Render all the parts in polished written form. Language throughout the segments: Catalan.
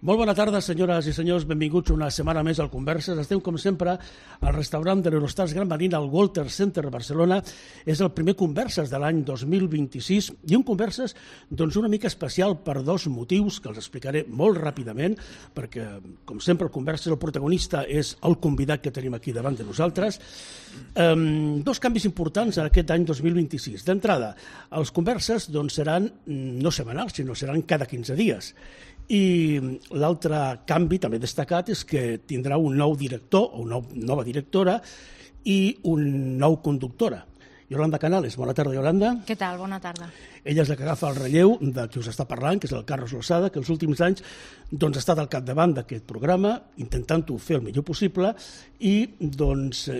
Molt bona tarda, senyores i senyors. Benvinguts una setmana més al Converses. Estem, com sempre, al restaurant de l'Eurostars Gran Marina, al Walter Center de Barcelona. És el primer Converses de l'any 2026 i un Converses una mica especial per dos motius que els explicaré molt ràpidament, perquè, com sempre, el Converses, el protagonista és el convidat que tenim aquí davant de nosaltres. Dos canvis importants en aquest any 2026. D'entrada, els Converses seran no setmanals, sinó seran cada 15 dies. I l'altre canvi també destacat és que tindrà un nou director o una nova directora i un nou conductora. Yolanda Canales, bona tarda, Yolanda. Què tal? Bona tarda. Ella és la que agafa el relleu de qui us està parlant, que és el Carlos Losada, que els últims anys ha estat al capdavant d'aquest programa, intentant-ho fer el millor possible, i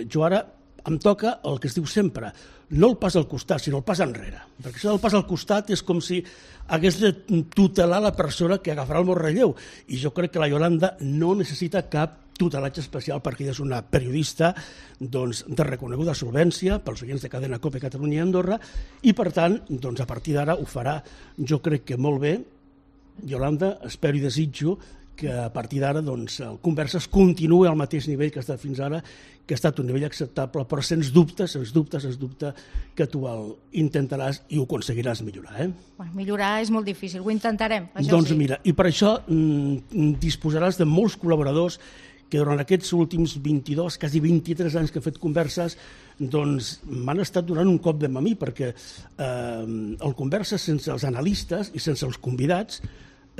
jo ara em toca el que es diu sempre, no el pas al costat, sinó el pas enrere. Perquè això del pas al costat és com si hagués de tutelar la persona que agafarà el meu relleu. I jo crec que la Yolanda no necessita cap tutelatge especial perquè ella és una periodista de reconeguda solvència pels oients de Cadena Cope Catalunya i Andorra i, per tant, a partir d'ara ho farà, jo crec que molt bé. Yolanda, espero i desitjo que a partir d'ara el Converses continuï al mateix nivell que ha estat fins ara, que ha estat un nivell acceptable, però sens dubte que tu el intentaràs i ho aconseguiràs millorar. Bueno, millorar és molt difícil, ho intentarem. Doncs mira, i per això disposaràs de molts col·laboradors que durant aquests últims 22, quasi 23 anys que he fet Converses, m'han estat donant un cop de mà a mi, perquè el Converses sense els analistes i sense els convidats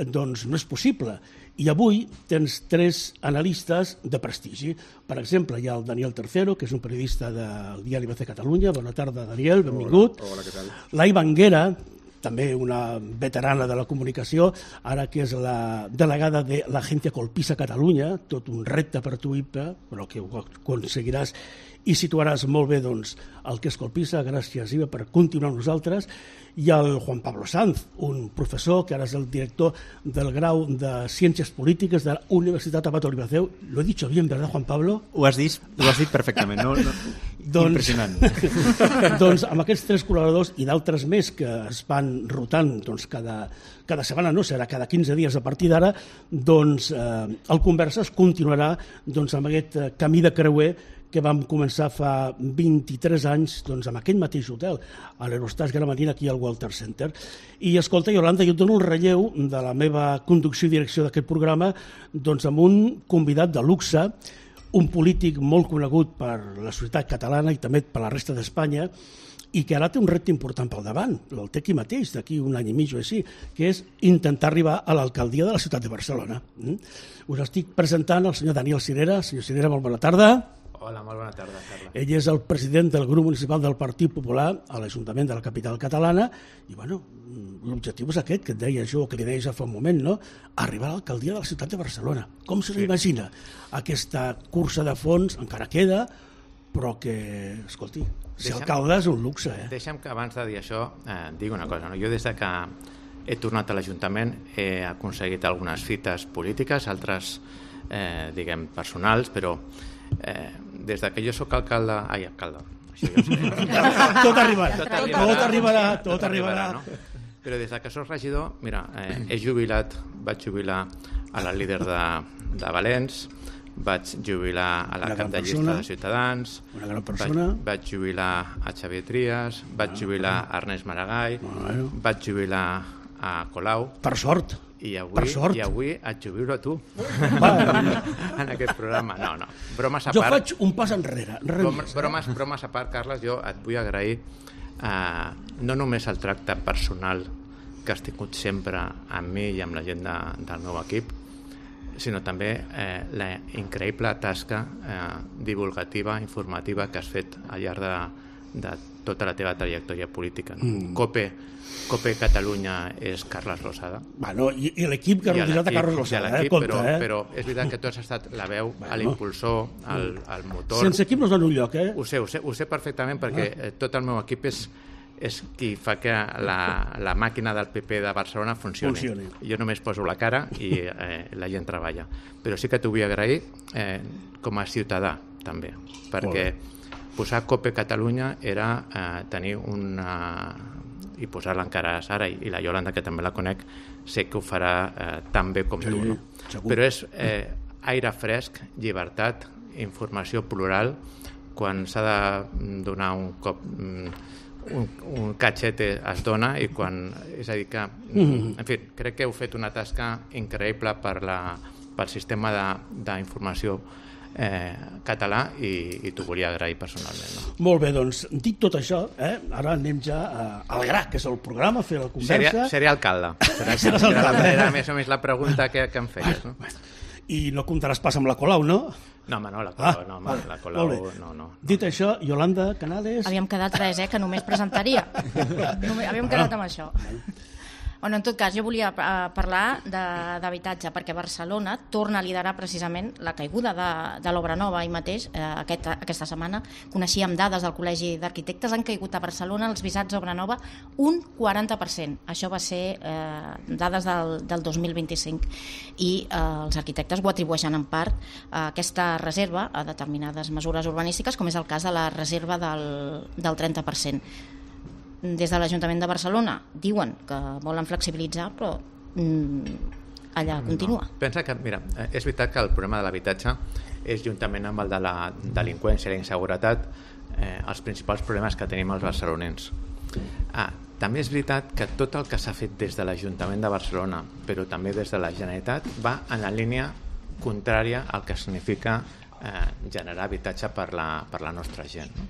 no és possible. I avui tens 3 analistes de prestigi. Per exemple, hi ha el Daniel Tercero, que és un periodista del diari ABC Catalunya. Bona tarda, Daniel, benvingut. Hola, què tal? Lai Banguera, també una veterana de la comunicació, ara que és la delegada de l'Agència Colpisa Catalunya, tot un repte per tu, però que ho aconseguiràs i situaràs molt bé el que és Colpisa. Gràcies, Iva, per continuar amb nosaltres. I el Juan Pablo Sanz, un professor que ara és el director del grau de Ciències Polítiques de la Universitat Abat Olivatheu. Lo he dicho bien, ¿verdad, Juan Pablo? Ho has dit perfectament. Impressionant. Amb aquests 3 col·laboradors i d'altres més que es van rotant cada setmana, no serà cada 15 dies a partir d'ara, el Converses continuarà amb aquest camí de creuer que vam començar fa 23 anys amb aquell mateix hotel, a l'Eurostars Gran Marina, aquí al Walter Center. I, escolta, Yolanda, jo et dono el relleu de la meva conducció i direcció d'aquest programa amb un convidat de luxe, un polític molt conegut per la societat catalana i també per la resta d'Espanya, i que ara té un repte important pel davant, el té aquí mateix, d'aquí un any i mig o així, que és intentar arribar a l'alcaldia de la ciutat de Barcelona. Us estic presentant el senyor Daniel Cirera. Senyor Cirera, molt bona tarda. Hola, molt bona tarda, Carla. Ell és el president del grup municipal del Partit Popular a l'Ajuntament de la capital catalana i, l'objectiu és aquest que et deia jo, que li deia ja fa un moment, no? Arribar a l'alcaldia de la ciutat de Barcelona. Com se l'imagina? Aquesta cursa de fons encara queda, però que, escolti, ser alcalde és un luxe. Deixa'm que abans de dir això digui una cosa. Jo des que he tornat a l'Ajuntament he aconseguit algunes fites polítiques, altres, personals, però des que jo soc alcalde... Tot arribarà. No? Però des que soc regidor, mira, vaig jubilar a la líder de Valens, vaig jubilar a la cap de llista de Ciutadans, vaig jubilar a Xavier Trias, vaig jubilar a Ernest Maragall, vaig jubilar a Colau. Per sort. I avui et jubilo a tu en aquest programa. No, bromes a part. Jo faig un pas enrere. Bromes a part, Carles, jo et vull agrair no només el tracte personal que has tingut sempre amb mi i amb la gent del meu equip, sinó també la increïble tasca divulgativa, informativa que has fet al llarg de tota la teva trajectòria política. Cope Catalunya és Carles Losada. I l'equip que ha rodejat a Carles Losada. Però és veritat que tu has estat la veu, l'impulsor, el motor. Sense equip no es dona un lloc, Ho sé perfectament perquè tot el meu equip és qui fa que la màquina del PP de Barcelona funcioni. Jo només poso la cara i la gent treballa. Però sí que t'ho vull agrair com a ciutadà, també, perquè posar Cope Catalunya era tenir una i posar-la encara a Sara, i la Iolanda, que també la conec, sé que ho farà tan bé com tu, no? Però és aire fresc, llibertat, informació plural, quan s'ha de donar un cop, un cachete es dona, i quan, és a dir que, en fi, crec que heu fet una tasca increïble pel sistema d'informació català, i t'ho volia agrair personalment, no? Molt bé, doncs, dit tot això, ara anem ja al gra, que és el programa, fer la conversa. Seré alcalde. Era més o menys la pregunta que em feies, no? I no comptaràs pas amb la Colau, no? No, home, no, la Colau, no. Dit això, Yolanda Canales... Havíem quedat res, que només presentaria. Havíem quedat amb això. Bueno, en tot cas, jo volia parlar d'habitatge, perquè Barcelona torna a liderar precisament la caiguda de l'obra nova. Ahir mateix, aquesta setmana, coneixíem dades del Col·legi d'Arquitectes, han caigut a Barcelona els visats d'obra nova un 40%. Això va ser dades del 2025. I els arquitectes ho atribueixen en part a aquesta reserva a determinades mesures urbanístiques, com és el cas de la reserva del 30%. Des de l'Ajuntament de Barcelona diuen que volen flexibilitzar, però allà continua. Pensa que, mira, és veritat que el problema de l'habitatge és, juntament amb el de la delinqüència i la inseguretat, els principals problemes que tenim els barcelonins. També és veritat que tot el que s'ha fet des de l'Ajuntament de Barcelona, però també des de la Generalitat, va en la línia contrària al que significa generar habitatge per la nostra gent, no?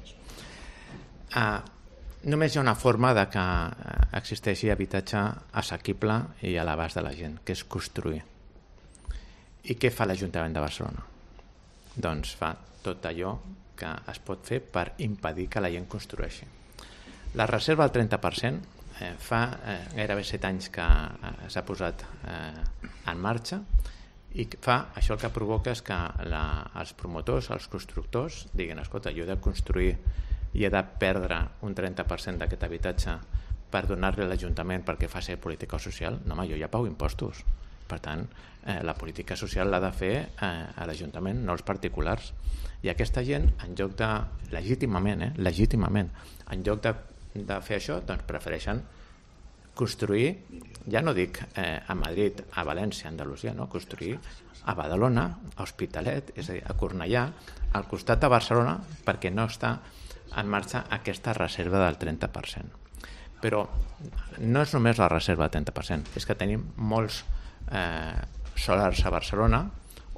Només hi ha una forma de que existeixi habitatge assequible i a l'abast de la gent, que és construir. I què fa l'Ajuntament de Barcelona? Doncs fa tot allò que es pot fer per impedir que la gent construeixi. La reserva del 30% fa gairebé 7 anys que s'ha posat en marxa, i això el que provoca és que els promotors, els constructors, diguin, escolta, jo he de construir i he de perdre un 30% d'aquest habitatge per donar-li a l'Ajuntament perquè faci política social. No, home, jo ja pago impostos. Per tant, la política social l'ha de fer a l'Ajuntament, no els particulars. I aquesta gent, en lloc de, legítimament, en lloc de fer això, doncs prefereixen construir, ja no dic a Madrid, a València, a Andalusia, no, construir a Badalona, a Hospitalet, és a dir, a Cornellà, al costat de Barcelona, perquè no està en marxa aquesta reserva del 30%. Però no és només la reserva del 30%, és que tenim molts solars a Barcelona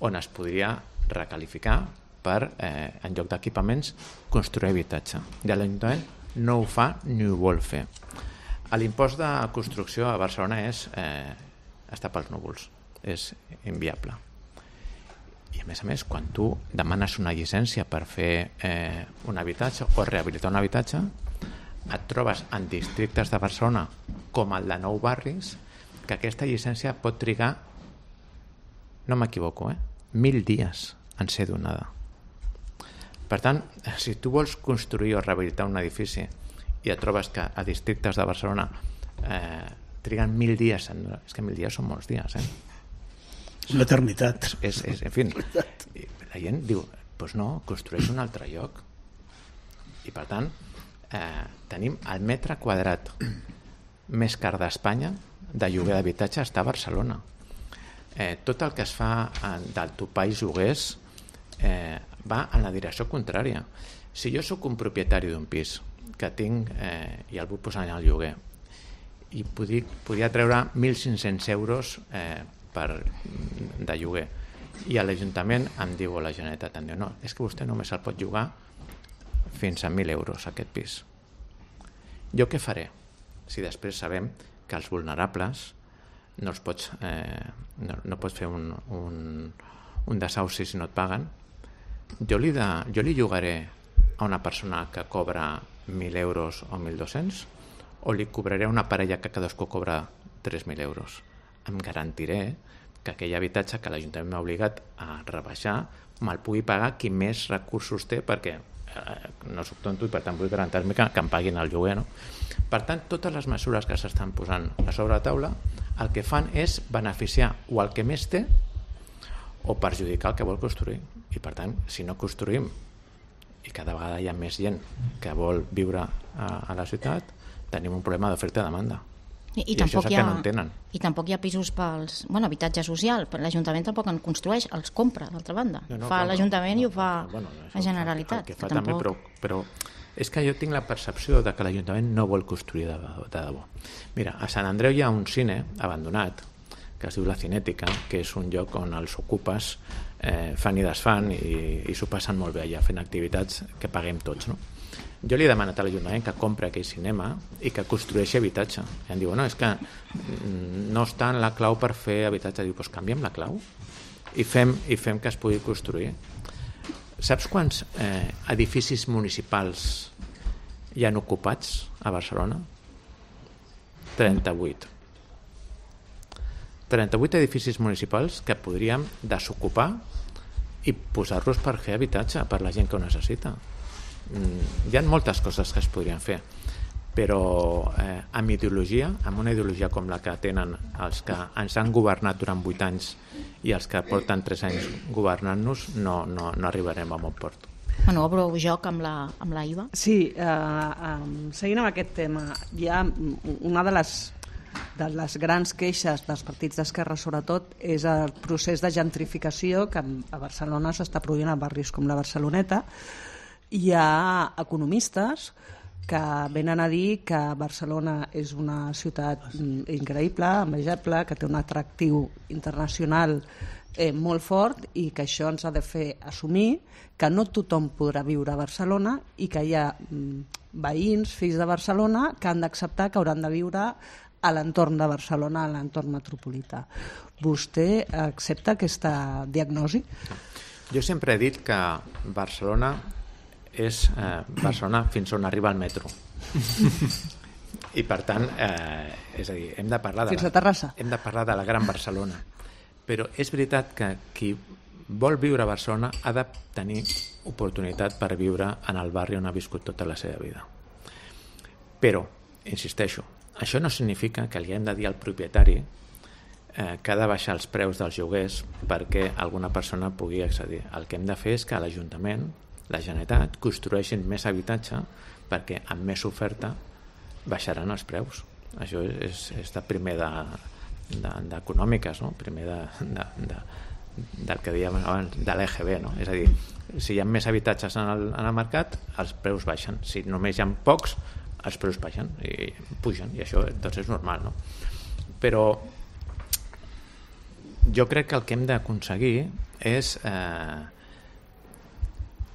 on es podria recalificar per, en lloc d'equipaments, construir habitatge. I l'Ajuntament no ho fa ni ho vol fer. L'impost de construcció a Barcelona està pels núvols, és inviable. I a més, quan tu demanes una llicència per fer un habitatge o rehabilitar un habitatge, et trobes en districtes de Barcelona com el de Nou Barris, que aquesta llicència pot trigar, no m'equivoco, 1.000 dies en ser donada. Per tant, si tu vols construir o rehabilitar un edifici i et trobes que a districtes de Barcelona triguen 1.000 dies, és que 1.000 dies són molts dies, una eternitat. En fi, la gent diu, doncs no, construeix un altre lloc. I per tant, tenim el metre quadrat més car d'Espanya de lloguer d'habitatge està a Barcelona. Tot el que es fa del topall lloguers va en la direcció contrària. Si jo sóc un propietari d'un pis que tinc i el vull posar al lloguer i podria treure 1.500 euros de lloguer, i a l'Ajuntament em diu, o la Generalitat em diu, no, és que vostè només el pot llogar fins a 1.000 euros aquest pis. Jo què faré? Si després sabem que els vulnerables no pots fer un desahuci si no et paguen, jo li llogaré a una persona que cobra 1.000 euros o 1.200, o li cobraré a una parella que cadascú cobra 3.000 euros. Em garantiré que aquell habitatge que l'Ajuntament m'ha obligat a rebaixar me'l pugui pagar qui més recursos té, perquè no soc tonto i per tant vull garantir-me que em paguin el lloguer, no? Per tant, totes les mesures que s'estan posant a sobre la taula el que fan és beneficiar o el que més té o perjudicar el que vol construir. I per tant, si no construïm i cada vegada hi ha més gent que vol viure a la ciutat, tenim un problema d'oferta i demanda. I això és el que no entenen. I tampoc hi ha pisos pels... Bueno, habitatge social, però l'Ajuntament tampoc en construeix, els compra, d'altra banda. Fa l'Ajuntament i ho fa la Generalitat. El que fa també, però és que jo tinc la percepció de que l'Ajuntament no vol construir de debò. Mira, a Sant Andreu hi ha un cine abandonat que es diu La Cinètica, que és un lloc on els ocupes fan i desfan i s'ho passen molt bé allà fent activitats que paguem tots, no? Jo li he demanat a l'Ajuntament que compri aquell cinema i que construeixi habitatge. I em diu, no, és que no està en la clau per fer habitatge. Diu, doncs canviem la clau i fem que es pugui construir. Saps quants edificis municipals hi han ocupats a Barcelona? 38. 38 edificis municipals que podríem desocupar i posar-los per fer habitatge per la gent que ho necessita. Hi ha moltes coses que es podrien fer, però amb ideologia, amb una ideologia com la que tenen els que ens han governat durant 8 anys i els que porten 3 anys governant-nos, no arribarem a bon port. Bueno, obro joc amb la IVA. Sí, seguint amb aquest tema, hi ha una de les grans queixes dels partits d'esquerra, sobretot, és el procés de gentrificació que a Barcelona s'està produint a barris com la Barceloneta. Hi ha economistes que venen a dir que Barcelona és una ciutat increïble, envejable, que té un atractiu internacional molt fort i que això ens ha de fer assumir que no tothom podrà viure a Barcelona i que hi ha veïns, fills de Barcelona, que han d'acceptar que hauran de viure a l'entorn de Barcelona, a l'entorn metropolità. Vostè accepta aquesta diagnosi? Jo sempre he dit que Barcelona és Barcelona fins on arriba el metro. I per tant, és a dir, hem de parlar fins a Terrassa. Hem de parlar de la Gran Barcelona. Però és veritat que qui vol viure a Barcelona ha de tenir oportunitat per viure en el barri on ha viscut tota la seva vida. Però, insisteixo, això no significa que li hem de dir al propietari que ha de baixar els preus dels lloguers perquè alguna persona pugui accedir. El que hem de fer és que l'Ajuntament, la Generalitat, construeixin més habitatge perquè amb més oferta baixaran els preus. Això és de primer d'econòmiques, no? Primer del que dèiem abans, de l'EGB, no? És a dir, si hi ha més habitatges en el mercat, els preus baixen. Si només hi ha pocs, els preus baixen i pugen, i això doncs és normal, no? Però jo crec que el que hem d'aconseguir és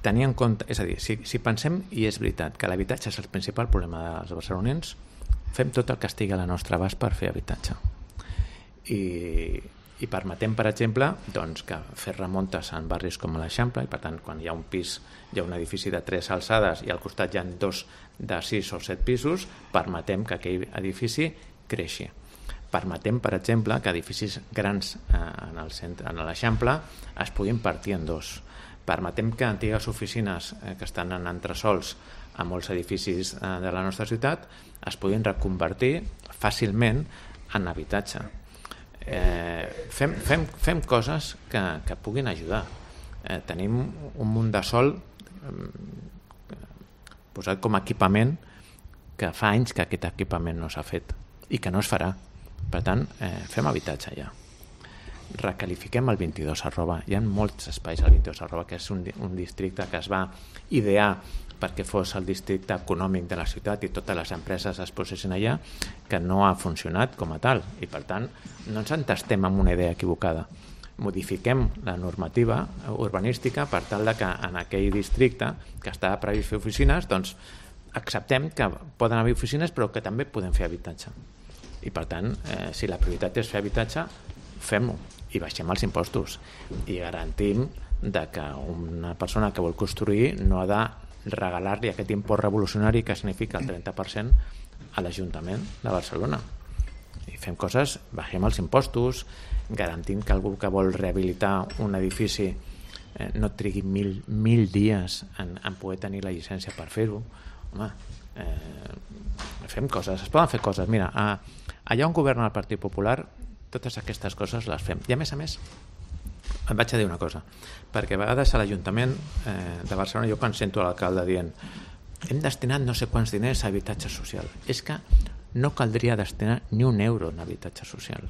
tenir en compte, és a dir, si pensem, i és veritat, que l'habitatge és el principal problema dels barcelonins, fem tot el que estigui a la nostra abast per fer habitatge. I permetem, per exemple, doncs, que fer remuntes en barris com l'Eixample, i per tant, quan hi ha un pis, hi ha un edifici de 3 alçades i al costat hi ha 2 de 6 o 7 pisos, permetem que aquell edifici creixi. Permetem, per exemple, que edificis grans en l'Eixample es puguin partir en 2. Permetem que antigues oficines que estan en entresòls a molts edificis de la nostra ciutat es puguin reconvertir fàcilment en habitatge. Fem coses que puguin ajudar. Tenim un munt de sol posat com a equipament que fa anys que aquest equipament no s'ha fet i que no es farà. Per tant, fem habitatge ja. Recalifiquem el 22 @. Hi ha molts espais al 22 @, que és un districte que es va idear perquè fos el districte econòmic de la ciutat i totes les empreses es posessin allà, que no ha funcionat com a tal, i per tant no ens entestem amb una idea equivocada. Modifiquem la normativa urbanística per tal de que en aquell districte que estava previst fer oficines, doncs acceptem que poden haver oficines però que també podem fer habitatge. I per tant, si la prioritat és fer habitatge, fem-ho i baixem els impostos i garantim que una persona que vol construir no ha de regalar-li aquest impost revolucionari que significa el 30% a l'Ajuntament de Barcelona. I fem coses, baixem els impostos, garantim que algú que vol rehabilitar un edifici no trigui 1.000 dies en poder tenir la llicència per fer-ho. Home, fem coses, es poden fer coses. Mira, allà on governa el Partit Popular, totes aquestes coses les fem. I a més, et vaig a dir una cosa, perquè a vegades a l'Ajuntament de Barcelona jo quan sento l'alcalde dient hem destinat no sé quants diners a habitatge social. És que no caldria destinar ni un euro en habitatge social.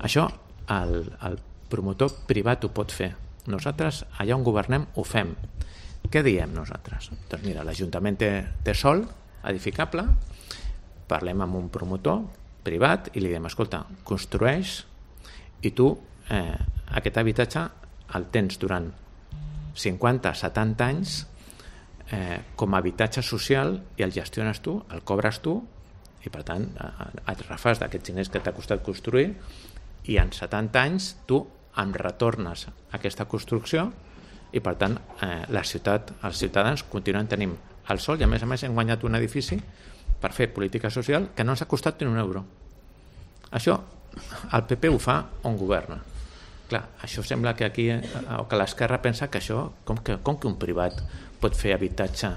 Això el promotor privat ho pot fer. Nosaltres, allà on governem, ho fem. Què diem nosaltres? Doncs mira, l'Ajuntament té sòl edificable, parlem amb un promotor privat i li diem, escolta, construeix i tu aquest habitatge el tens durant 50-70 anys com a habitatge social i el gestiones tu, el cobres tu i per tant et refàs d'aquests diners que t'ha costat construir i en 70 anys tu em retornes aquesta construcció i per tant la ciutat, els ciutadans continuen tenint el sol i a més hem guanyat un edifici per fer política social que no ens ha costat ni un euro. Això el PP ho fa on governa. Clar, això sembla que aquí o que l'esquerra pensa que això, com que un privat pot fer habitatge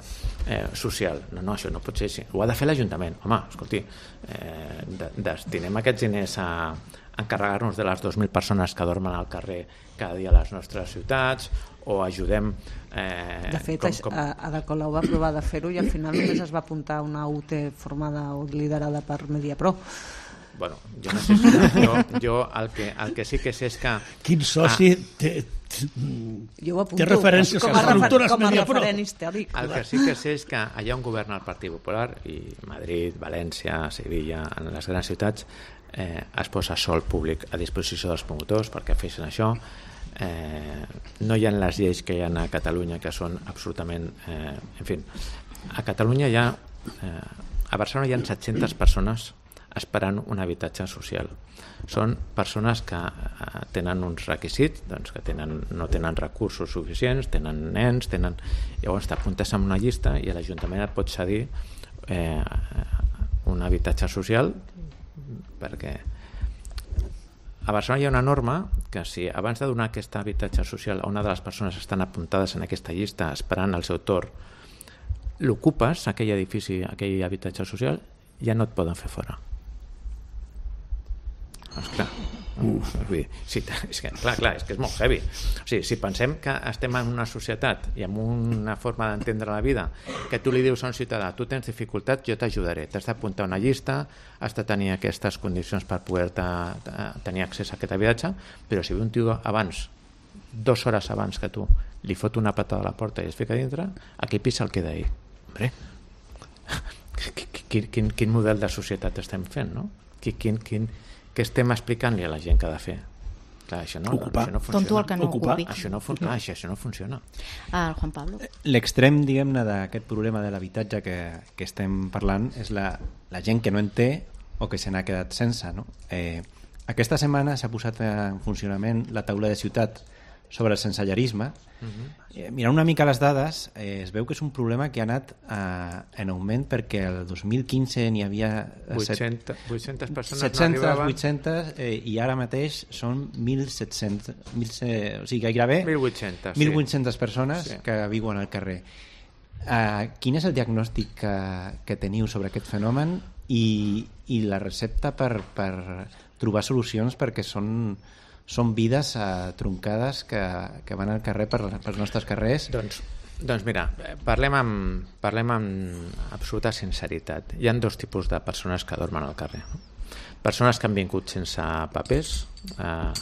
social. No, això no pot ser així. Ho ha de fer l'Ajuntament. Home, escolti, destinem aquests diners a encarregar-nos de les 2.000 persones que dormen al carrer cada dia a les nostres ciutats o ajudem... De fet, Ada Colau va provar de fer-ho i al final només es va apuntar una UT formada o liderada per Mediapro. Bueno, jo no sé si jo el que sí que sé és que... Quin soci té referències com a referent històric. El que sí que sé és que allà on governa el Partit Popular, i Madrid, València, Sevilla, en les grans ciutats, es posa sòl públic a disposició dels promotors perquè feixen això. No hi ha les lleis que hi ha a Catalunya que són absolutament... En fi, a Catalunya hi ha... A Barcelona hi ha 700 persones esperant un habitatge social. Són persones que tenen uns requisits, doncs que no tenen recursos suficients, tenen nens, llavors t'apuntes en una llista i l'Ajuntament et pot cedir un habitatge social perquè a Barcelona hi ha una norma que si abans de donar aquest habitatge social a una de les persones que estan apuntades en aquesta llista esperant el seu torn, l'ocupes, aquell edifici, aquell habitatge social, ja no et poden fer fora. Esclar, és que és molt heavy. O sigui, si pensem que estem en una societat i en una forma d'entendre la vida que tu li dius a un ciutadà, tu tens dificultat, jo t'ajudaré, t'has d'apuntar una llista, has de tenir aquestes condicions per poder tenir accés a aquest habitatge, però si ve un tio abans, 2 hores abans que tu, li fot una patada a la porta i es fica dintre, aquí pisa el queda ahí. Hombre, quin model de societat estem fent, no? Què estem explicant-li a la gent que ha de fer? Clar, això no funciona. Tonto el que no ocupi. Això no funciona. Juan Pablo. L'extrem, diguem-ne, d'aquest problema de l'habitatge que estem parlant és la gent que no en té o que se n'ha quedat sense, no? Aquesta setmana s'ha posat en funcionament la taula de ciutat sobre el sensellarisme. Mirant una mica les dades, es veu que és un problema que ha anat en augment perquè el 2015 n'hi havia 800 persones 700, 800 i ara mateix són 1.700, o sigui, gairebé 1.800 persones que viuen al carrer. Quin és el diagnòstic que teniu sobre aquest fenomen i la recepta per trobar solucions perquè són vides troncades que van al carrer pels nostres carrers? Doncs mira, parlem amb absoluta sinceritat. Hi ha 2 tipus de persones que dormen al carrer. Persones que han vingut sense papers a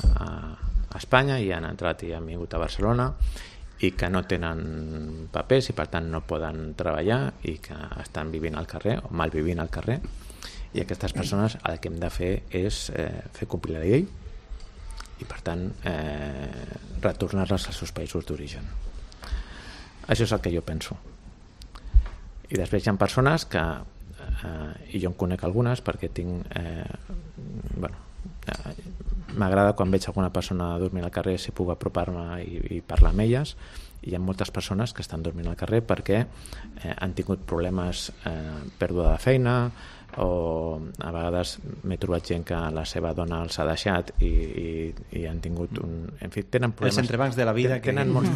Espanya i han entrat i han vingut a Barcelona i que no tenen papers i per tant no poden treballar i que estan vivint al carrer o malvivint al carrer, i aquestes persones el que hem de fer és fer complir la llei i per tant retornar-les als seus països d'origen. Això és el que jo penso. I després hi ha persones que i jo en conec algunes perquè tinc m'agrada quan veig alguna persona dormint al carrer si puc apropar-me i parlar amb elles, i hi ha moltes persones que estan dormint al carrer perquè han tingut problemes, pèrdua de feina, o a vegades m'he trobat gent que la seva dona els ha deixat i han tingut en fi, tenen problemes. Els entrebancs de la vida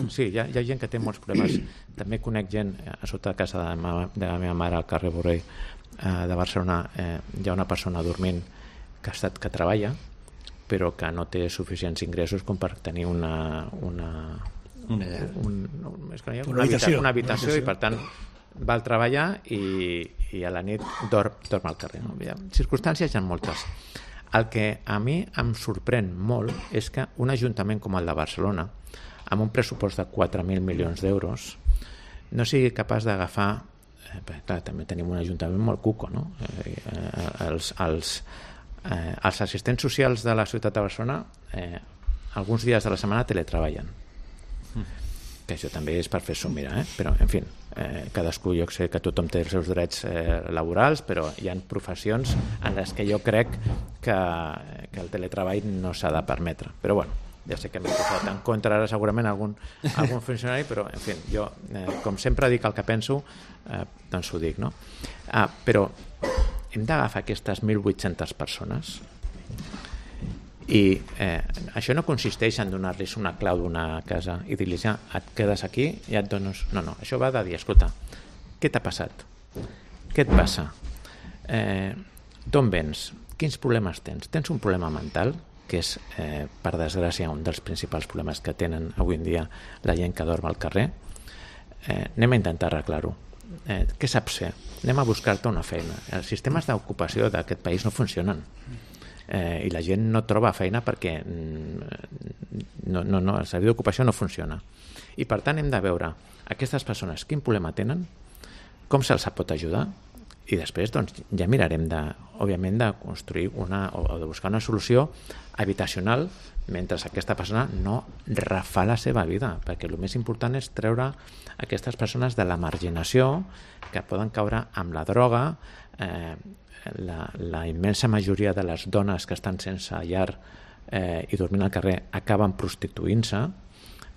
sí, hi ha gent que té molts problemes. També conec gent a sota de casa de la meva mare al carrer Borrell de Barcelona, hi ha una persona dormint que treballa però que no té suficients ingressos com per tenir una habitació i per tant va al treballar i a la nit dorm al carrer. No? Circumstàncies hi ha moltes. El que a mi em sorprèn molt és que un ajuntament com el de Barcelona, amb un pressupost de 4.000 milions d'euros, no sigui capaç d'agafar... Clar, també tenim un ajuntament molt cuco, no? Els assistents socials de la ciutat de Barcelona alguns dies de la setmana teletreballen. Que això també és per fer-s'ho mirar, però en fi, cadascú, jo sé que tothom té els seus drets laborals, però hi ha professions en les que jo crec que el teletreball no s'ha de permetre, però bueno, ja sé que m'he posat en contra ara segurament algun funcionari, però en fi, jo com sempre dic el que penso, doncs ho dic, no? Però hem d'agafar aquestes 1.800 persones i això no consisteix en donar-los una clau d'una casa i dir-los ja, et quedes aquí i et dones... No, això va de dir, escolta, què t'ha passat? Què et passa? D'on vens? Quins problemes tens? Tens un problema mental, que és, per desgràcia, un dels principals problemes que tenen avui en dia la gent que dorm al carrer? Anem a intentar arreglar-ho. Què saps fer? Anem a buscar-te una feina. Els sistemes d'ocupació d'aquest país no funcionen. I la gent no troba feina perquè el servei d'ocupació no funciona. I per tant hem de veure aquestes persones quin problema tenen, com se'ls pot ajudar, i després doncs, ja mirarem òbviament de construir o de buscar una solució habitacional mentre aquesta persona no refà la seva vida, perquè el més important és treure aquestes persones de la marginació que poden caure amb la droga. La immensa majoria de les dones que estan sense llar i dormint al carrer acaben prostituint-se,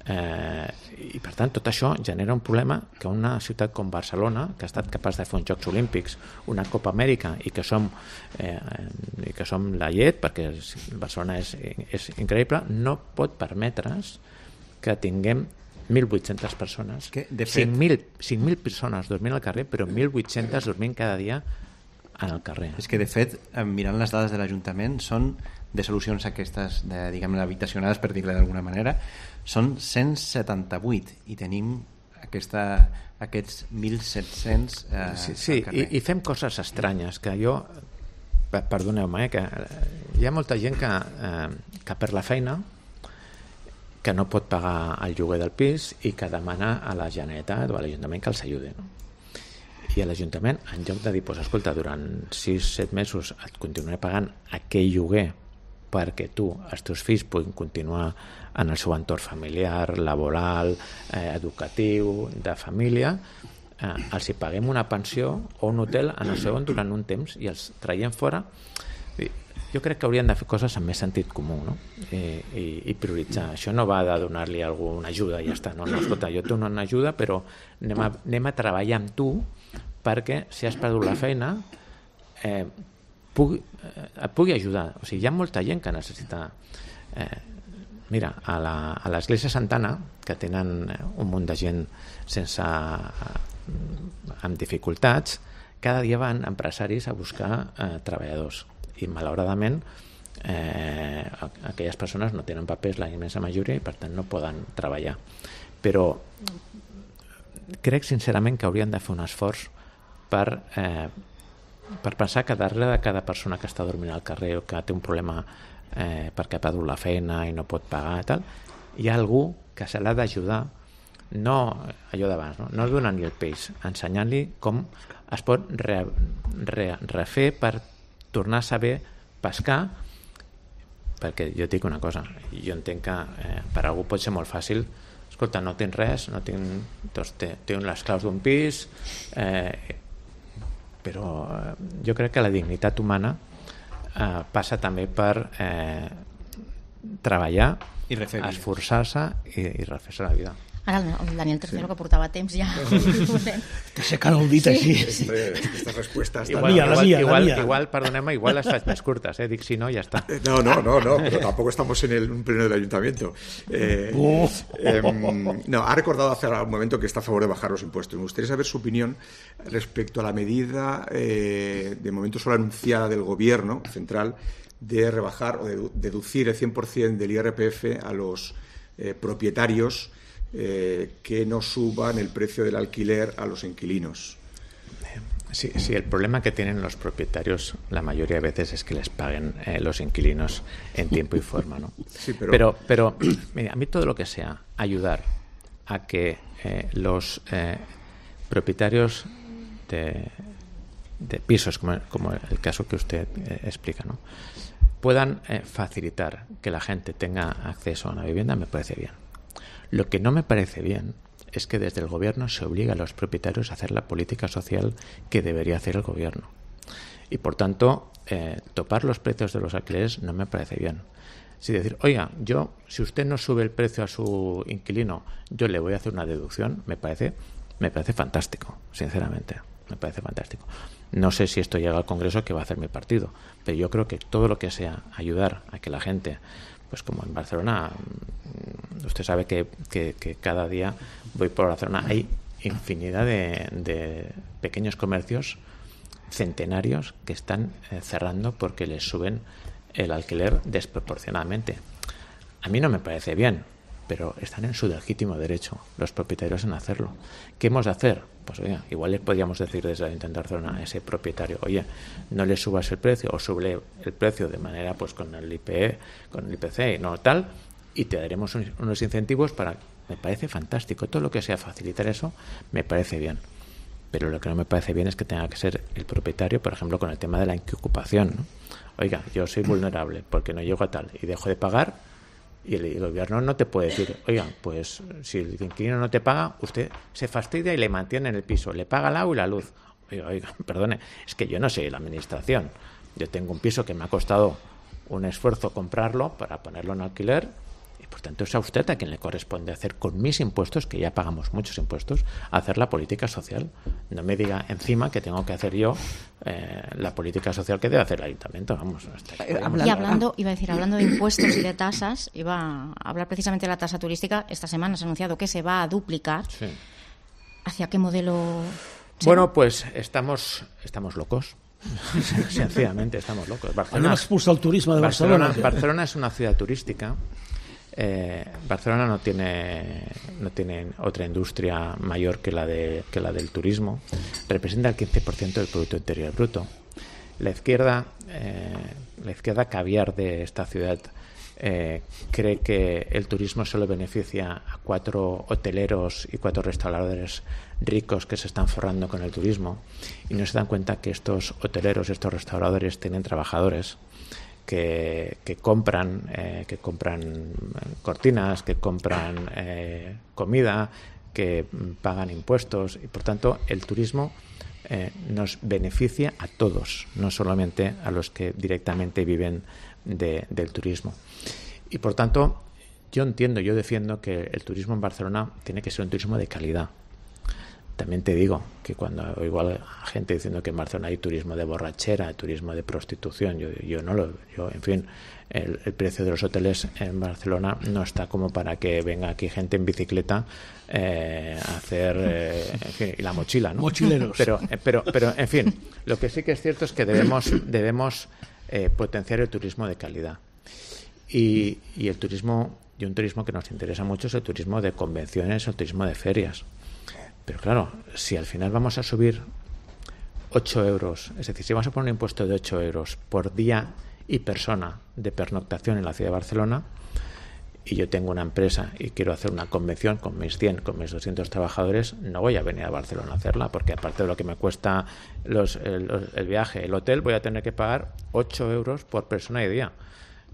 i per tant tot això genera un problema que una ciutat com Barcelona, que ha estat capaç de fer uns Jocs Olímpics, una Copa Amèrica i que som la llet, perquè Barcelona és increïble, no pot permetre's que tinguem 1.800 persones, 5.000 persones dormint al carrer, però 1.800 dormint cada dia en el carrer. És que de fet, mirant les dades de l'Ajuntament, són de solucions aquestes, diguem-ne, habitacionades, per dir-ne d'alguna manera, són 178 i tenim aquests 1.700 al carrer. I fem coses estranyes que jo, perdoneu-me, que hi ha molta gent que per la feina que no pot pagar el lloguer del pis i que demana a la Generalitat o a l'Ajuntament que els ajudi, no? I a l'Ajuntament, en lloc de dir, escolta, durant 6-7 mesos et continuaré pagant aquell lloguer perquè tu, els teus fills puguin continuar en el seu entorn familiar, laboral, educatiu, de família, els hi paguem una pensió o un hotel en el seu durant un temps i els traiem fora. Jo crec que haurien de fer coses amb més sentit comú, no? I prioritzar. Això no va de donar-li a algú una ajuda i ja està. No, escolta, jo et dono una ajuda, però anem a treballar amb tu perquè si has perdut la feina et pugui ajudar. O sigui, hi ha molta gent que necessita... Mira, a l'Església Santana, que tenen un munt de gent amb dificultats, cada dia van empresaris a buscar treballadors i malauradament aquelles persones no tenen papers, la immensa majoria, i per tant no poden treballar. Però crec sincerament que haurien de fer un esforç per pensar que darrere de cada persona que està dormint al carrer o que té un problema perquè ha perdut la feina i no pot pagar i tal, hi ha algú que se l'ha d'ajudar, no allò d'abans, no donant-li el peix, ensenyant-li com es pot refer per tornar a saber pescar, perquè jo et dic una cosa, jo entenc que per algú pot ser molt fàcil, escolta, no tens res, doncs tinc les claus d'un pis, però jo crec que la dignitat humana passa també per treballar, esforçar-se i refer-se la vida. Ara el Daniel Tercero, que portava temps ja t'aixecant el dit així. Estas respuestas igual, perdoneu-me, igual les faig més curtes, dic si no, ja està. No, pero tampoco estamos en un pleno del ayuntamiento. No, ha recordado hace un momento que está a favor de bajar los impuestos. Me gustaría saber su opinión respecto a la medida de momento solo anunciada del gobierno central de rebajar o de deducir el 100% del IRPF a los propietarios que no suban el precio del alquiler a los inquilinos. Sí, el problema que tienen los propietarios la mayoría de veces es que les paguen los inquilinos en tiempo y forma, ¿no? Sí, pero mira, a mí todo lo que sea ayudar a que los propietarios de pisos, como el caso que usted explica, ¿no?, puedan facilitar que la gente tenga acceso a una vivienda, me parece bien. Lo que no me parece bien es que desde el gobierno se obliga a los propietarios a hacer la política social que debería hacer el gobierno. Y por tanto, topar los precios de los alquileres no me parece bien. Si decir, oiga, si usted no sube el precio a su inquilino, yo le voy a hacer una deducción, me parece fantástico, sinceramente. Me parece fantástico. No sé si esto llega al Congreso, que va a hacer mi partido, pero yo creo que todo lo que sea ayudar a que la gente, pues como en Barcelona, usted sabe que cada día voy por Barcelona, hay infinidad de pequeños comercios centenarios que están cerrando porque les suben el alquiler desproporcionadamente. A mí no me parece bien, pero están en su legítimo derecho los propietarios en hacerlo. ¿Qué hemos de hacer? Pues oye, igual les podríamos decir desde el Ayuntamiento de Barcelona a ese propietario, oye, no le subas el precio o sube el precio de manera pues con el IPC, no tal, y te daremos unos incentivos para... Me parece fantástico. Todo lo que sea facilitar eso me parece bien. Pero lo que no me parece bien es que tenga que ser el propietario, por ejemplo, con el tema de la inquiocupación, ¿no? Oiga, yo soy vulnerable porque no llego a tal y dejo de pagar, y el gobierno no te puede decir, oiga, pues si el inquilino no te paga, usted se fastidia y le mantiene en el piso, le paga el agua y la luz. Oiga, perdone, es que yo no soy la administración. Yo tengo un piso que me ha costado un esfuerzo comprarlo para ponerlo en alquiler, y por tanto es a usted a quien le corresponde hacer con mis impuestos, que ya pagamos muchos impuestos, hacer la política social. No me diga encima que tengo que hacer yo la política social que debe hacer el ayuntamiento. Vamos, y hablando de impuestos y de tasas, iba a hablar precisamente de la tasa turística. Esta semana se ha anunciado que se va a duplicar. Sí. ¿Hacia qué modelo? Bueno, pues estamos locos. Sencillamente estamos locos. Barcelona expulsa el turismo de Barcelona. Barcelona es una ciudad turística. Barcelona no tiene otra industria mayor que la del turismo. Representa el 15% del Producto Interior Bruto. La izquierda caviar de esta ciudad cree que el turismo solo beneficia a 4 hoteleros y 4 restauradores ricos que se están forrando con el turismo, y no se dan cuenta que estos hoteleros, estos restauradores tienen trabajadores que compran cortinas, que compran comida, que pagan impuestos, y por tanto el turismo nos beneficia a todos, no solamente a los que directamente viven del turismo. Y por tanto yo defiendo que el turismo en Barcelona tiene que ser un turismo de calidad. También te digo que cuando oigo a gente diciendo que en Barcelona hay turismo de borrachera, turismo de prostitución, en fin, el precio de los hoteles en Barcelona no está como para que venga aquí gente en bicicleta a hacer en fin, y la mochila, ¿no? Mochileros. Pero en fin, lo que sí que es cierto es que debemos potenciar el turismo de calidad. Y un turismo que nos interesa mucho es el turismo de convenciones, el turismo de ferias. Pero claro, si al final vamos a subir 8 euros, es decir, si vamos a poner un impuesto de 8 euros por día y persona de pernoctación en la ciudad de Barcelona, y yo tengo una empresa y quiero hacer una convención con mis 100, con mis 200 trabajadores, no voy a venir a Barcelona a hacerla, porque aparte de lo que me cuesta el viaje, el hotel, voy a tener que pagar 8 euros por persona y día.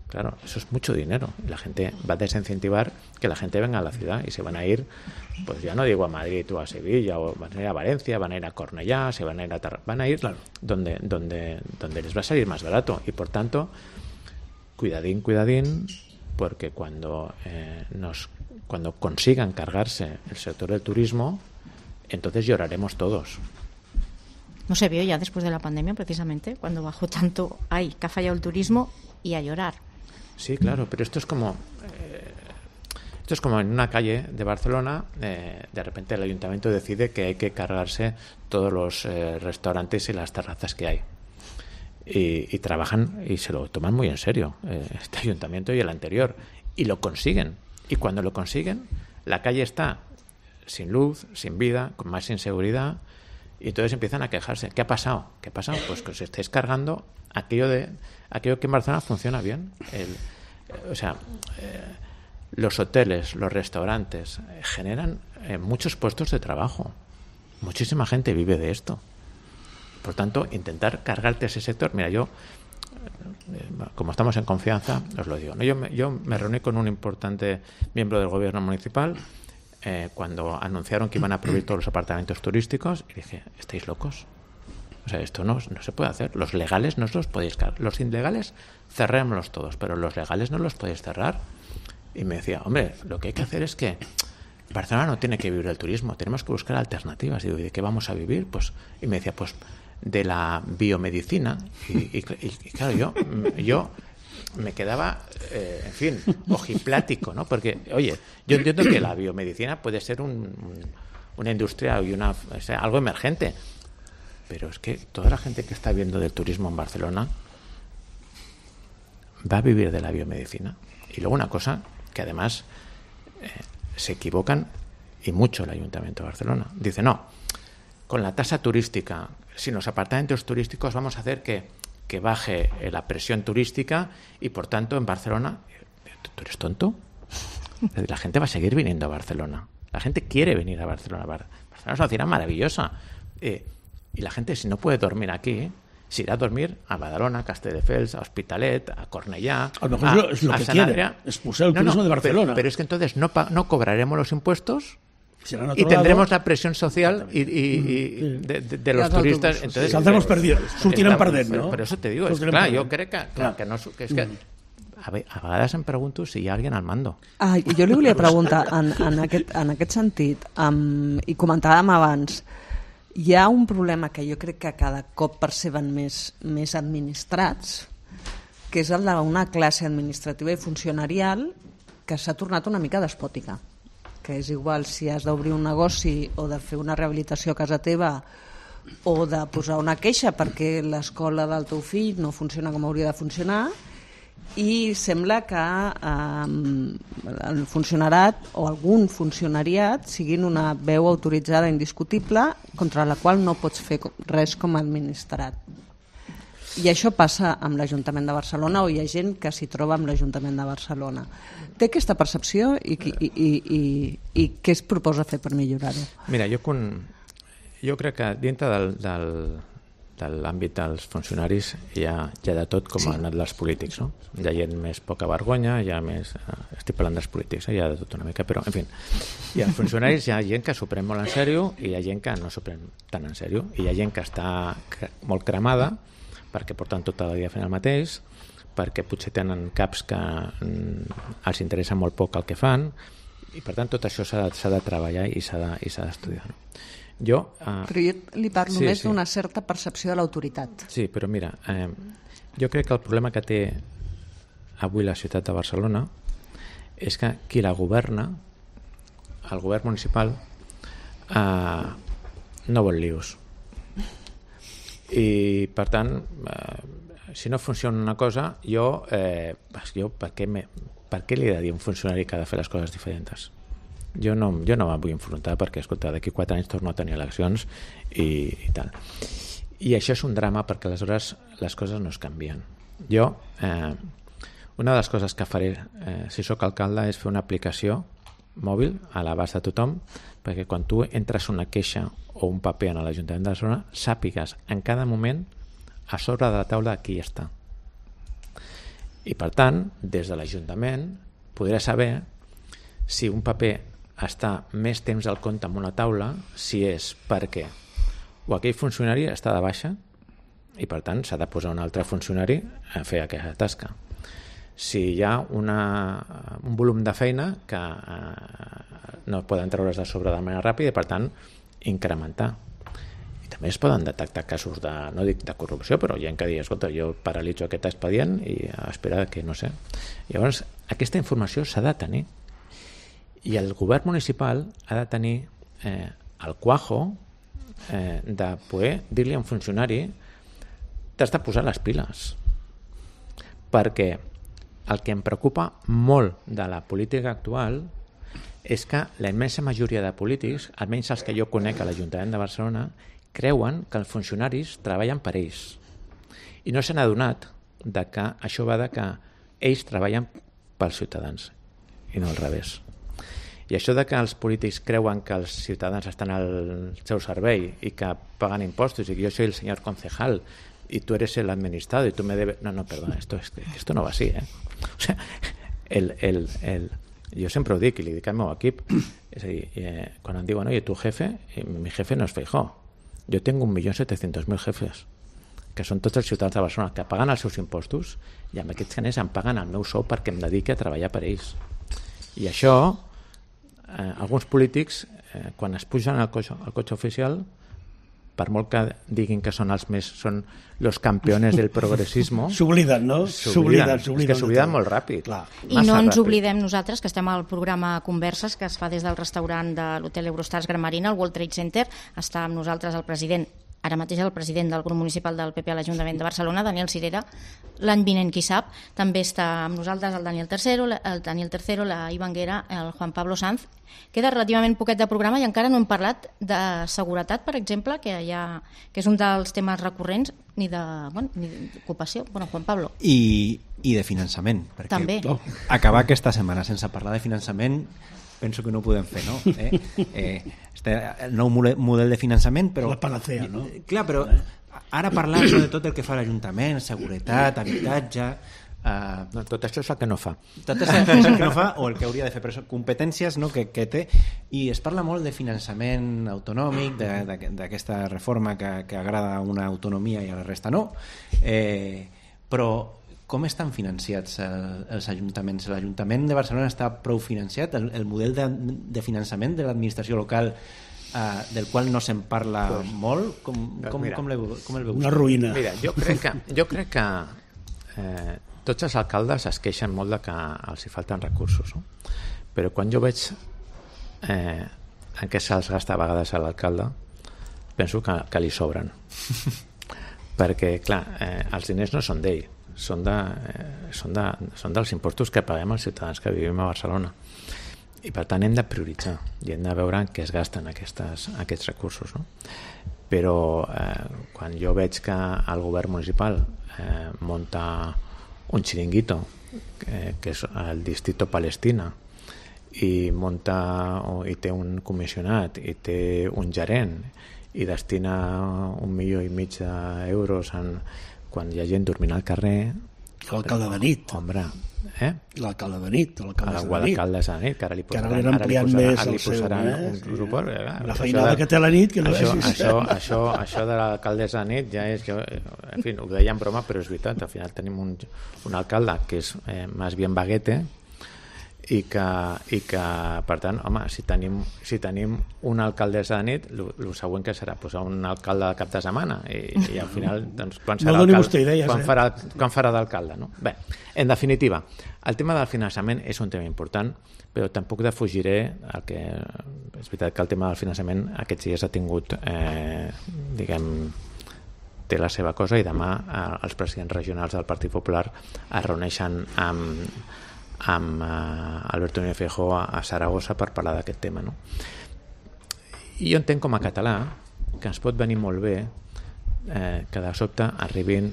Claro, eso es mucho dinero. La gente va a desincentivar que la gente venga a la ciudad, y se van a ir, pues ya no digo a Madrid o a Sevilla, o van a ir a Valencia, van a ir a Cornellá, van a ir claro, donde les va a salir más barato. Y por tanto, cuidadín, porque cuando consigan cargarse el sector del turismo, entonces lloraremos todos. No se vio ya después de la pandemia, precisamente, cuando bajó tanto, que ha fallado el turismo, y a llorar. Sí, claro, pero esto es como en una calle de Barcelona, de repente el ayuntamiento decide que hay que cargarse todos los restaurantes y las terrazas que hay. Y trabajan y se lo toman muy en serio, este ayuntamiento y el anterior, y lo consiguen. Y cuando lo consiguen, la calle está sin luz, sin vida, con más inseguridad, y entonces empiezan a quejarse. ¿Qué ha pasado? Pues que os estáis cargando aquello que en Barcelona funciona bien. Los hoteles, los restaurantes generan muchos puestos de trabajo. Muchísima gente vive de esto. Por tanto, intentar cargarte ese sector. Mira, yo, como estamos en confianza, os lo digo, ¿no? Yo me reuní con un importante miembro del gobierno municipal cuando anunciaron que iban a prohibir todos los apartamentos turísticos, y dije, ¿estáis locos? O sea, esto no se puede hacer. Los legales no os los podéis cargar. Los ilegales, cerrémoslos todos, pero los legales no los podéis cerrar. Y me decía, hombre, lo que hay que hacer es que Barcelona no tiene que vivir del turismo, tenemos que buscar alternativas. Y digo, ¿y de qué vamos a vivir? Y me decía, pues de la biomedicina. Y claro, yo me quedaba, en fin, ojiplático, ¿no? Porque, oye, yo entiendo que la biomedicina puede ser una industria y algo emergente, pero es que toda la gente que está viendo del turismo en Barcelona va a vivir de la biomedicina. Y luego una cosa que además se equivocan, y mucho, el Ayuntamiento de Barcelona. Dice, no, con la tasa turística, sin los apartamentos turísticos vamos a hacer que baje la presión turística y, por tanto, en Barcelona... ¿Tú eres tonto? La gente va a seguir viniendo a Barcelona. La gente quiere venir a Barcelona. Barcelona es una ciudad maravillosa. Y la gente, si no puede dormir aquí, se irá a dormir a Badalona, a Castelldefels, a Hospitalet, a Cornellà, a lo mejor es lo que quiere, expulsar el turismo de Barcelona. Pero es que entonces no cobraremos los impuestos y tendremos la presión social de los turistas. Entonces saldremos perdidos, sortirem perdent, no? Por eso te digo, clar, jo crec que no... Que és que a vegades em pregunto si hi ha algú al mando. Jo li volia preguntar, en aquest sentit, i comentàvem abans, hi ha un problema que jo crec que cada cop perceben més administrats, que és el d'una classe administrativa i funcionarial que s'ha tornat una mica despòtica, que és igual si has d'obrir un negoci o de fer una rehabilitació a casa teva o de posar una queixa perquè l'escola del teu fill no funciona com hauria de funcionar, i sembla que el funcionariat o algun funcionariat siguin una veu autoritzada indiscutible contra la qual no pots fer res com a administrat. I això passa amb l'Ajuntament de Barcelona, o hi ha gent que s'hi troba amb l'Ajuntament de Barcelona. Té aquesta percepció i què es proposa fer per millorar-ho? Mira, jo crec que dintre de l'àmbit dels funcionaris hi ha de tot, com han anat els polítics, no? Hi ha gent més poca vergonya, hi ha més... Estic parlant dels polítics, hi ha de tot una mica, però, en fi, hi ha funcionaris, hi ha gent que s'ho pren molt en sèrio i hi ha gent que no s'ho pren tan en sèrio, i hi ha gent que està molt cremada perquè porten tot el dia fent el mateix, perquè potser tenen caps que els interessa molt poc el que fan, i per tant tot això s'ha de treballar i s'ha d'estudiar, no? Però jo li parlo més d'una certa percepció de l'autoritat. Sí, però mira, jo crec que el problema que té avui la ciutat de Barcelona és que qui la governa, el govern municipal, no vol lius. I per tant, si no funciona una cosa, jo per què li he de dir a un funcionari que ha de fer les coses diferents? Jo no me'n vull enfrontar perquè, escolta, d'aquí 4 anys torno a tenir eleccions i tal. I això és un drama perquè aleshores les coses no es canvien. Jo, una de les coses que faré si sóc alcalde és fer una aplicació mòbil a l'abast de tothom, perquè quan tu entres una queixa o un paper en l'Ajuntament de Barcelona sàpigues en cada moment a sobre de la taula qui està. I per tant, des de l'Ajuntament podré saber si un paper està més temps al compte en una taula, si és perquè o aquell funcionari està de baixa i per tant s'ha de posar un altre funcionari a fer aquesta tasca. Si hi ha un volum de feina que no poden treure's de sobre de manera ràpida i per tant incrementar. I també es poden detectar casos de, no dic de corrupció, però hi ha que dir, escolta, jo paralitzo aquest expedient i espera que no sé. Llavors, aquesta informació s'ha de tenir. I el govern municipal ha de tenir el cuajo de poder dir-li a un funcionari t'has de posar les piles, perquè el que em preocupa molt de la política actual és que la immensa majoria de polítics, almenys els que jo conec a l'Ajuntament de Barcelona, creuen que els funcionaris treballen per ells. I no s'han adonat que això va de que ells treballen pels ciutadans i no al revés. I això de que els polítics creuen que els ciutadans estan al seu servei i que paguen impostos i que jo soy el señor concejal y tú eres el administrado y tú me debes... No, perdona, esto no va así, ¿eh? O sea, jo sempre ho dic i li dic al meu equip, és a dir, quan em diuen, oye, tu jefe, mi jefe no és Feijóo, jo tengo 1.700.000 jefes, que són tots els ciutadans de Barcelona, que paguen els seus impostos i amb aquests diners em paguen el meu sou perquè em dediqui a treballar per ells. I això, alguns polítics, quan es pugen al cotxe oficial, per molt que diguin que són los campeones del progressismo, s'obliden, no? S'obliden. És que s'obliden molt ràpid. Clar. I no ens oblidem nosaltres, que estem al programa Converses, que es fa des del restaurant de l'Hotel Eurostars Gran Marina, al World Trade Center. Està amb nosaltres el president, ara mateix el president del grup municipal del PP a l'Ajuntament de Barcelona, Daniel Sirera. L'any vinent, qui sap, també està amb nosaltres el Daniel Tercero, la Ivanguera, el Juan Pablo Sanz. Queda relativament poquet de programa i encara no hem parlat de seguretat, per exemple, que és un dels temes recurrents, ni d'ocupació. Bueno, Juan Pablo. I de finançament. Perquè també. Acabar aquesta setmana sense parlar de finançament penso que no ho podem fer, no? El nou model de finançament, però... La panacea, no? Clar, però ara parlar de tot el que fa l'Ajuntament, seguretat, habitatge... No, tot això és el que no fa. Tot això és el que no fa o el que hauria de fer, però són competències, no, que té, i es parla molt de finançament autonòmic, d'aquesta reforma que agrada a una autonomia i a la resta no, però com estan financiats els ajuntaments? L'Ajuntament de Barcelona està prou financiat? El model de finançament de l'administració local, del qual no se'n parla molt, com el veus? Una ruïna. Mira, jo crec que tots els alcaldes es queixen molt de que els hi falten recursos, no? Però quan jo veig en què se'ls gasta a vegades a l'alcalde, penso que li sobren. Perquè, clar, els diners no són d'ell, són dels impostos que paguem els ciutadans que vivim a Barcelona. I per tant hem de prioritzar i hem de veure en què es gasten aquests recursos, no? Però quan jo veig que el govern municipal munta un xiringuito que és el Distrito Palestina i té un comissionat i té un gerent i destina 1,5 milions d'euros quan hi ha gent dormint al carrer, l'alcalde de nit, l'alcalde de nit, l'alcaldessa de nit, que ara li posaran un suport, la feinada que té la nit, que no això de l'alcaldessa de nit ja és, en fi, ho deia en broma però és veritat, al final tenim un alcalde que és més bien baguete i que per tant, home, si tenim una alcaldessa de nit, el següent que serà posar un alcalde de cap de setmana i al final, doncs, quan farà d'alcalde, no? Bé, en definitiva, el tema del finançament és un tema important, però tampoc defugiré és veritat que el tema del finançament aquests dies ha tingut té la seva cosa i demà els presidents regionals del Partit Popular es reuneixen amb Alberto Núñez Feijóo a Saragossa per parlar d'aquest tema, no? I jo entenc com a català que ens pot venir molt bé que de sobte arribin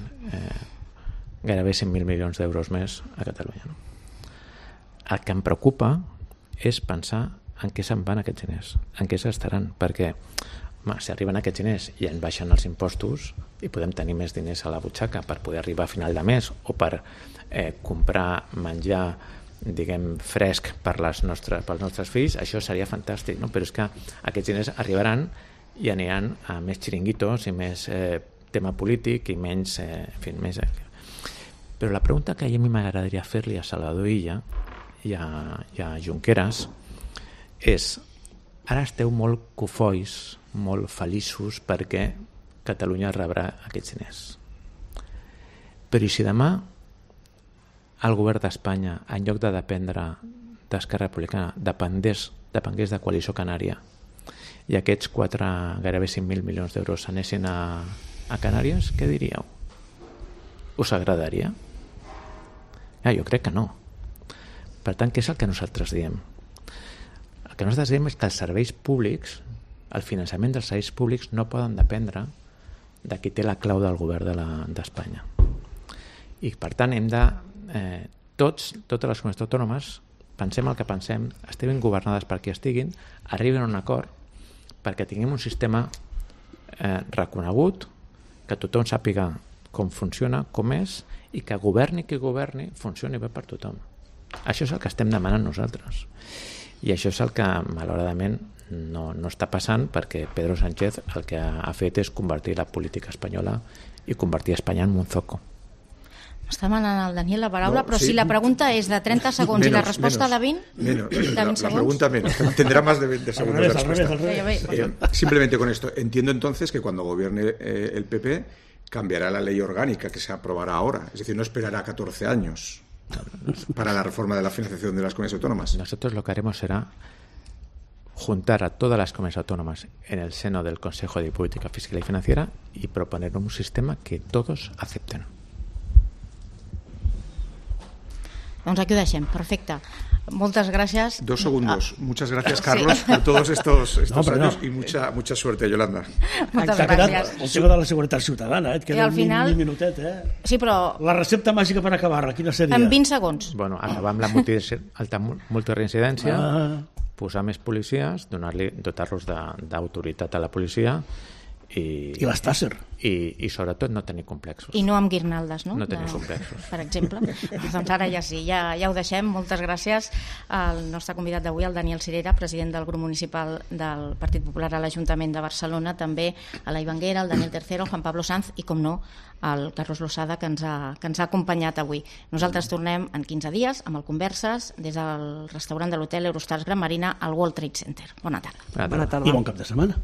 gairebé 100.000 milions d'euros més a Catalunya, no? El que em preocupa és pensar en què se'n van aquests diners, en què s'estaran, perquè si arriben aquests diners i ens baixen els impostos i podem tenir més diners a la butxaca per poder arribar a final de mes o per comprar menjar fresc pels nostres fills, això seria fantàstic, no? Però és que aquests diners arribaran i aniran a més xiringuitos i més tema polític i menys, més... Però la pregunta que a mi m'agradaria fer-li a Salvador Illa i a Junqueras és: ara esteu molt cofois, molt feliços perquè Catalunya rebrà aquests diners, però i si demà el govern d'Espanya, en lloc de dependre d'Esquerra Republicana, depengués de Coalició Canària i aquests gairebé 5.000 milions d'euros s'anessin a Canàries, què diríeu? Us agradaria? Jo crec que no. Per tant, què és el que nosaltres diem? El que nosaltres diem és que els serveis públics, el finançament dels serveis públics no poden dependre de qui té la clau del govern d'Espanya. I per tant hem de... totes les comunitats autònomes, pensem el que pensem, estiguin governades per qui estiguin, arriben a un acord perquè tinguem un sistema reconegut, que tothom sàpiga com funciona, com és, i que governi qui governi, funcioni bé per tothom. Això és el que estem demanant nosaltres. I això és el que, malauradament, no està passant, perquè Pedro Sánchez el que ha fet és convertir la política espanyola i convertir Espanya en un zoco. Està demanant al Daniel la paraula, no, però sí. Si la pregunta és de 30 segons i la resposta de 20, la pregunta menos, tendrá más de 20 segundos de respuesta. Simplemente con esto, entiendo entonces que cuando gobierne el PP cambiará la ley orgánica que se aprobará ahora, es decir, no esperará 14 años para la reforma de la financiación de las comunidades autónomas. Nosotros lo que haremos será juntar a todas las comunidades autónomas en el seno del Consejo de Política Fiscal y Financiera y proponer un sistema que todos acepten. Doncs aquí ho deixem, perfecte. Moltes gràcies. 2 segundos. Muchas gracias, Carlos, por todos estos años y mucha suerte, Yolanda. Moltes gràcies. El tema de la seguretat ciutadana, et queda un minutet, Sí, però... La recepta màgica per acabar-la, quina seria? En 20 segons. Bueno, acabar amb la alta multireincidència, posar més policies, dotar-los d'autoritat a la policia i les Tasser. I sobretot no tenir complexos. I no amb guirnaldes, no? No tenir complexos. Per exemple. Doncs ara ja sí, ja ho deixem. Moltes gràcies al nostre convidat d'avui, el Daniel Sirera, president del grup municipal del Partit Popular a l'Ajuntament de Barcelona, també a la Ivanguera, el Daniel Tercero, el Juan Pablo Sanz i, com no, el Carlos Losada, que ens ha acompanyat avui. Nosaltres tornem en 15 dies amb el Converses des del restaurant de l'hotel Eurostars Gran Marina al World Trade Center. Bona tarda. I bon cap de setmana.